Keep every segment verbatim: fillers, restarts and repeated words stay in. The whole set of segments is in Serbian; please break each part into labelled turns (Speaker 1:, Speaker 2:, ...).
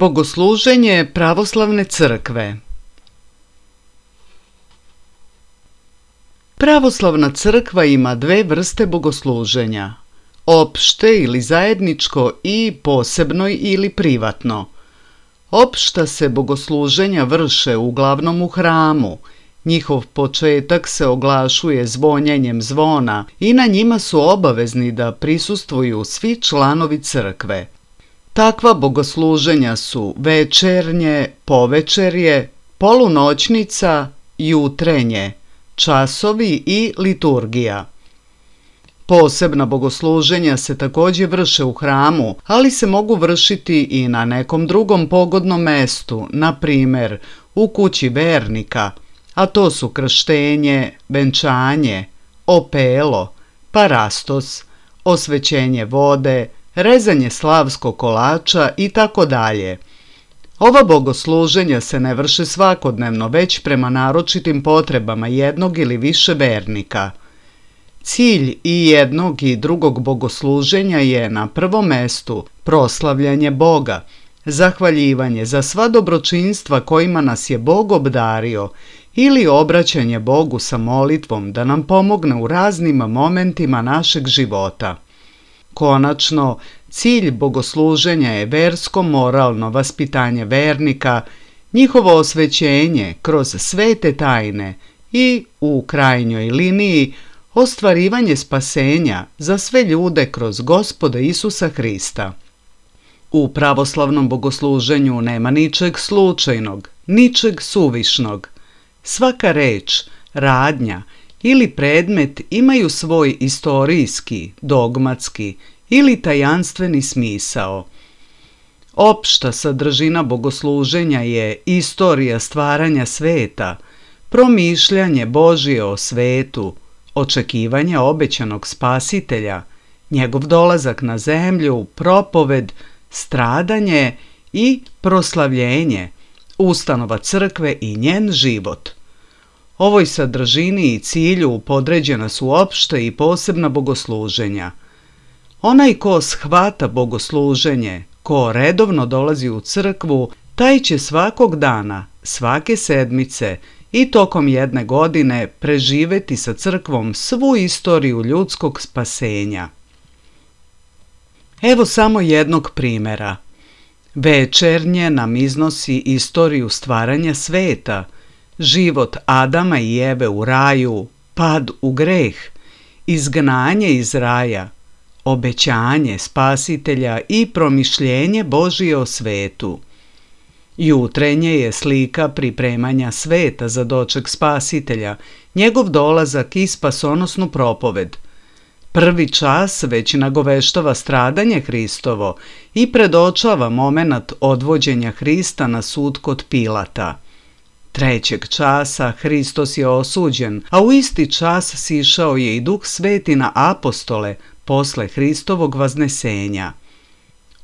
Speaker 1: Bogosluženje pravoslavne crkve. Pravoslavna crkva ima dve vrste bogosluženja, opšte ili zajedničko i posebno ili privatno. Opšta se bogosluženja vrše uglavnom u hramu, Njihov početak se oglašuje zvonjenjem zvona i na njima su obavezni da prisustvuju svi članovi crkve. Takva bogosluženja su večernje, povečerje, polunoćnica, jutrenje, časovi i liturgija. Posebna bogosluženja se također vrše u hramu, ali se mogu vršiti i na nekom drugom pogodnom mestu, na primjer u kući vernika, a to su krštenje, venčanje, opelo, parastos, osvećenje vode, rezanje slavskog kolača i tako dalje. Ova bogosluženja se ne vrše svakodnevno, već prema naročitim potrebama jednog ili više vernika. Cilj i jednog i drugog bogosluženja je na prvom mestu proslavljanje Boga, zahvaljivanje za sva dobročinstva kojima nas je Bog obdario ili obraćanje Bogu sa molitvom da nam pomogne u raznim momentima našeg života. Konačno, cilj bogosluženja je versko-moralno vaspitanje vernika, njihovo osvećenje kroz svete tajne i, u krajnjoj liniji, ostvarivanje spasenja za sve ljude kroz Gospoda Isusa Hrista. U pravoslavnom bogosluženju nema ničeg slučajnog, ničeg suvišnog. Svaka reč, radnja ili predmet imaju svoj istorijski, dogmatski ili tajanstveni smisao. Opšta sadržina bogosluženja je istorija stvaranja sveta, promišljanje Božje o svetu, očekivanje obećanog spasitelja, njegov dolazak na zemlju, propoved, stradanje i proslavljenje, ustanova crkve i njen život. Ovoj sadržini i cilju podređena su opšta i posebna bogosluženja. Onaj ko shvata bogosluženje, ko redovno dolazi u crkvu, taj će svakog dana, svake sedmice i tokom jedne godine preživeti sa crkvom svu istoriju ljudskog spasenja. Evo samo jednog primjera. Večernje nam iznosi istoriju stvaranja sveta, život Adama i Eve u raju, pad u greh, izgnanje iz raja, obećanje spasitelja i promišljenje Božije o svetu. Jutrenje je slika pripremanja sveta za doček spasitelja, njegov dolazak i spasonosnu propoved. Prvi čas već nagoveštava stradanje Hristovo i predočava momenat odvođenja Hrista na sud kod Pilata. Trećeg časa Hristos je osuđen, a u isti čas sišao je i Duh Sveti na apostole posle Hristovog vaznesenja.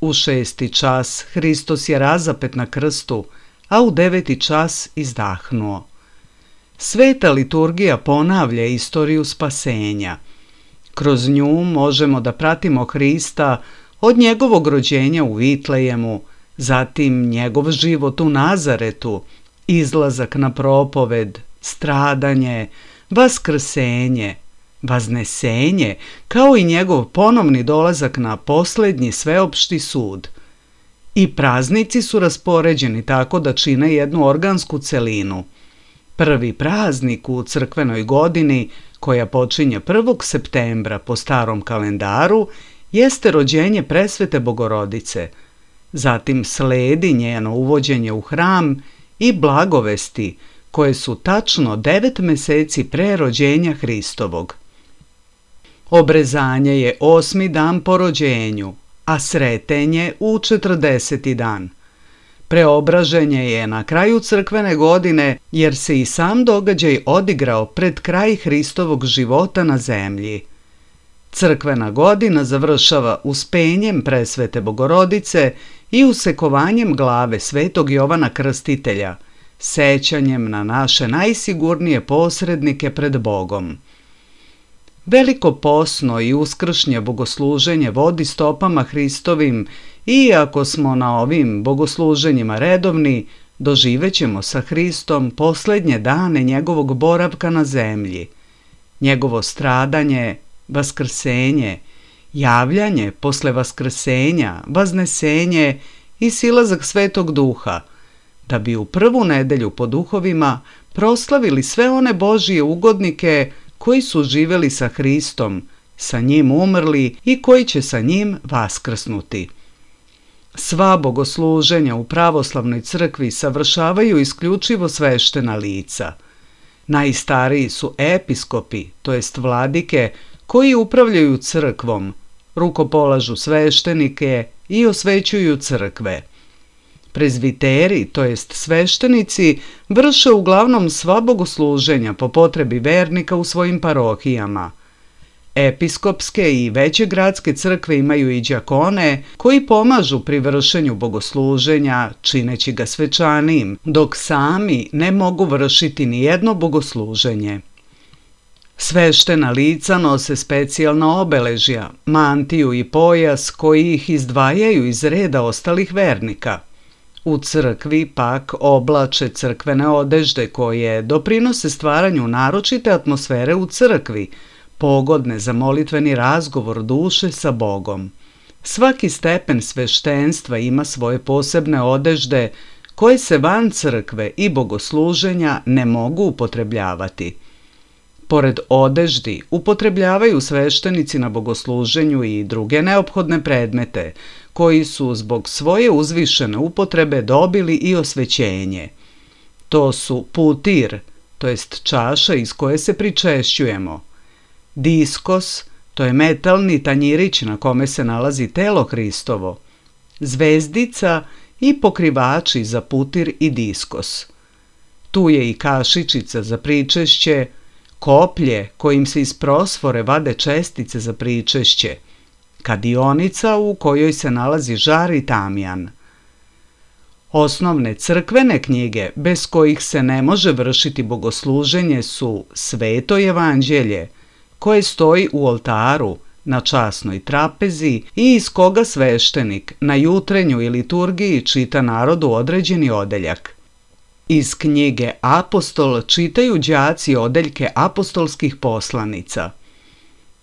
Speaker 1: U šesti čas Hristos je razapet na krstu, a u deveti čas izdahnuo. Sveta liturgija ponavlja istoriju spasenja. Kroz nju možemo da pratimo Hrista od njegovog rođenja u Vitlejemu, zatim njegov život u Nazaretu, izlazak na propoved, stradanje, vaskrsenje, vaznesenje, kao i njegov ponovni dolazak na posljednji sveopšti sud. I praznici su raspoređeni tako da čine jednu organsku celinu. Prvi praznik u crkvenoj godini, koja počinje prvog septembra po starom kalendaru, jeste rođenje Presvete Bogorodice. Zatim sledi njeno uvođenje u hram i blagovesti, koje su tačno devet meseci pre rođenja Hristovog. Obrezanje je osmi dan po rođenju, a sretenje u četrdeseti dan. Preobraženje je na kraju crkvene godine, jer se i sam događaj odigrao pred kraj Hristovog života na zemlji. Crkvena godina završava uspenjem Presvete Bogorodice i usekovanjem glave svetog Jovana Krstitelja, sećanjem na naše najsigurnije posrednike pred Bogom. Veliko posno i uskršnje bogosluženje vodi stopama Hristovim i ako smo na ovim bogosluženjima redovni, doživećemo sa Hristom posljednje dane njegovog boravka na zemlji, njegovo stradanje, vaskrsenje, javljanje posle vaskrsenja, vaznesenje i silazak Svetog Duha, da bi u prvu nedelju po duhovima proslavili sve one Božije ugodnike koji su živjeli sa Hristom, sa njim umrli i koji će sa njim vaskrsnuti. Sva bogosluženja u pravoslavnoj crkvi savršavaju isključivo sveštena lica. Najstariji su episkopi, to jest vladike, koji upravljaju crkvom, rukopolažu sveštenike i osvećuju crkve. Prezviteri, to jest sveštenici, vrše uglavnom sva bogosluženja po potrebi vernika u svojim parohijama. Episkopske i veće gradske crkve imaju i đakone koji pomažu pri vršenju bogosluženja, čineći ga svečanijim, dok sami ne mogu vršiti ni jedno bogosluženje. Sveštena lica nose specijalna obeležja, mantiju i pojas koji ih izdvajaju iz reda ostalih vernika. U crkvi pak oblače crkvene odežde koje doprinose stvaranju naročite atmosfere u crkvi, pogodne za molitveni razgovor duše sa Bogom. Svaki stepen sveštenstva ima svoje posebne odežde koje se van crkve i bogosluženja ne mogu upotrebljavati. Pored odeždi upotrebljavaju sveštenici na bogosluženju i druge neophodne predmete, koji su zbog svoje uzvišene upotrebe dobili i osvećenje. To su putir, to jest čaša iz koje se pričešćujemo, diskos, to je metalni tanjirić na kome se nalazi telo Hristovo, zvezdica i pokrivači za putir i diskos. Tu je i kašičica za pričešće, koplje kojim se iz prosfore vade čestice za pričešće, kadionica u kojoj se nalazi žar i tamjan. Osnovne crkvene knjige bez kojih se ne može vršiti bogosluženje su Sveto evanđelje, koje stoji u oltaru na časnoj trapezi i iz koga sveštenik na jutrenjoj liturgiji čita narodu određeni odeljak. Iz knjige Apostol čitaju đaci odeljke apostolskih poslanica.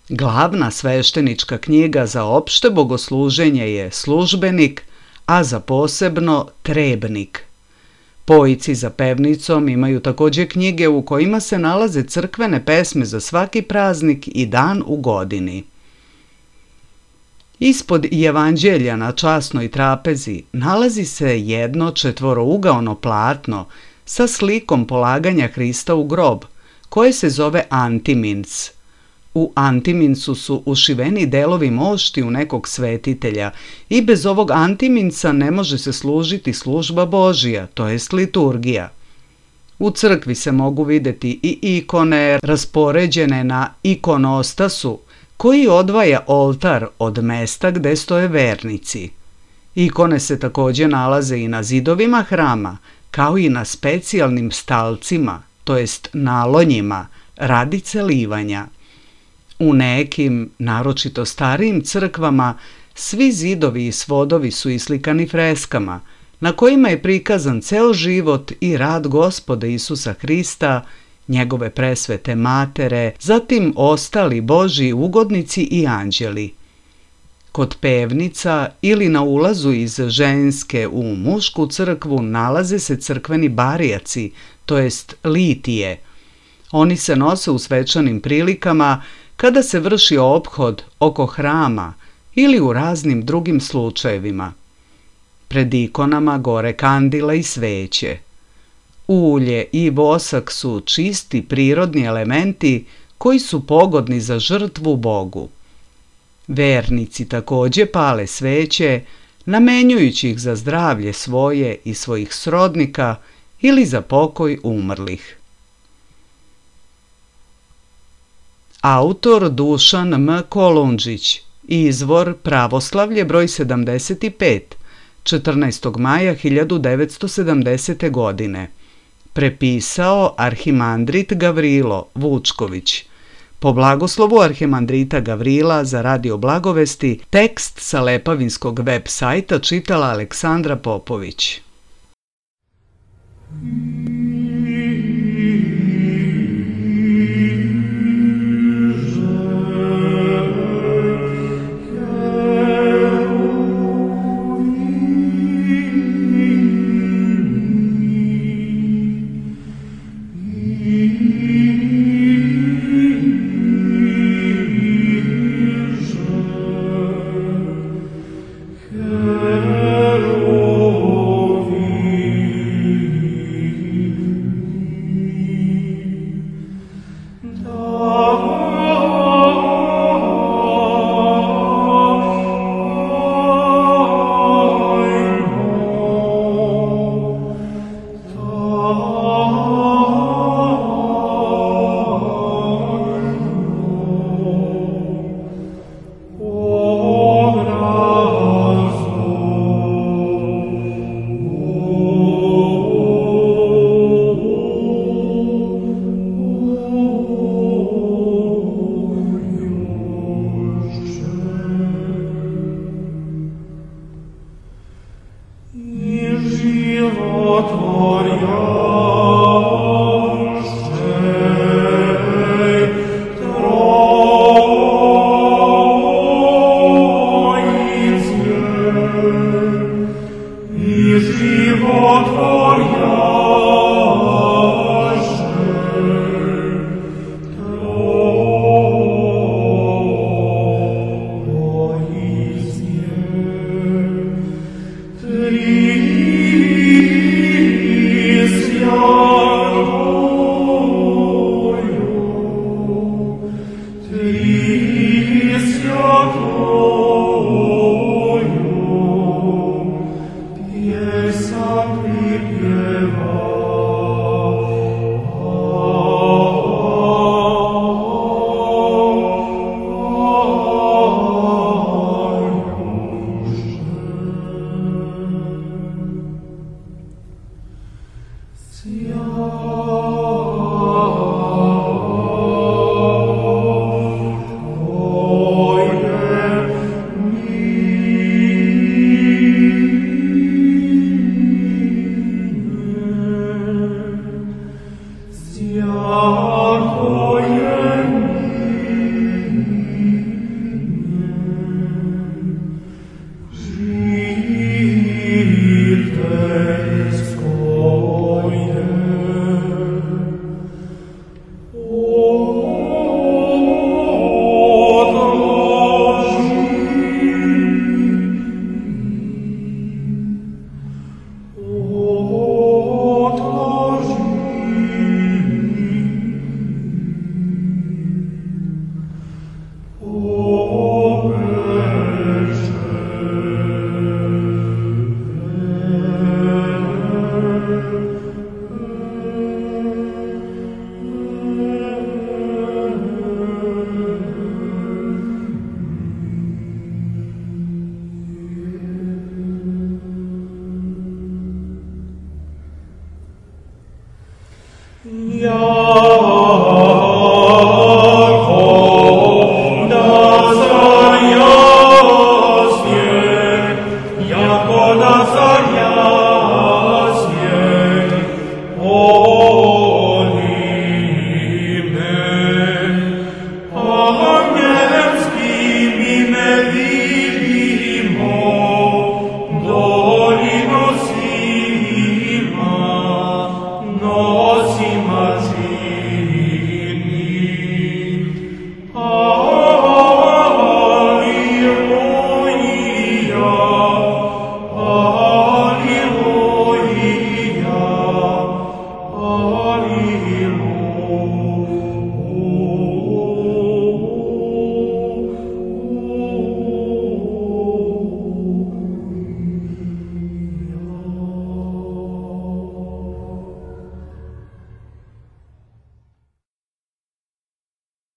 Speaker 1: Glavna sveštenička knjiga za opšte bogosluženje je Službenik, a za posebno Trebnik. Pojici za pevnicom imaju također knjige u kojima se nalaze crkvene pesme za svaki praznik i dan u godini. Ispod evanđelja na časnoj trapezi nalazi se jedno četvorougaono platno sa slikom polaganja Hrista u grob, koje se zove antimins. U antiminsu su ušiveni delovi moštiju nekog svetitelja i bez ovog antiminsa ne može se služiti služba Božija, to jest liturgija. U crkvi se mogu vidjeti i ikone raspoređene na ikonostasu, koji odvaja oltar od mesta gde stoje vernici. Ikone se također nalaze i na zidovima hrama, kao i na specijalnim stalcima, to jest nalonjima, radi celivanja. U nekim, naročito starijim crkvama, svi zidovi i svodovi su islikani freskama, na kojima je prikazan ceo život i rad Gospoda Isusa Hrista, njegove presvete matere, zatim ostali Božji ugodnici i anđeli. Kod pevnica ili na ulazu iz ženske u mušku crkvu nalaze se crkveni barijaci, to jest litije. Oni se nose u svečanim prilikama kada se vrši ophod oko hrama ili u raznim drugim slučajevima. Pred ikonama gore kandila i sveće. Ulje i vosak su čisti prirodni elementi koji su pogodni za žrtvu Bogu. Vernici također pale sveće, namenjujući ih za zdravlje svoje i svojih srodnika ili za pokoj umrlih. Autor Dušan M. Kolundžić, izvor Pravoslavlje broj sedamdeset pet, četrnaestog maja hiljadu devetsto sedamdesete. godine. Prepisao arhimandrit Gavrilo Vučković. Po blagoslovu arhimandrita Gavrila za Radio Blagovesti, tekst sa Lepavinskog web sajta čitala Aleksandra Popović.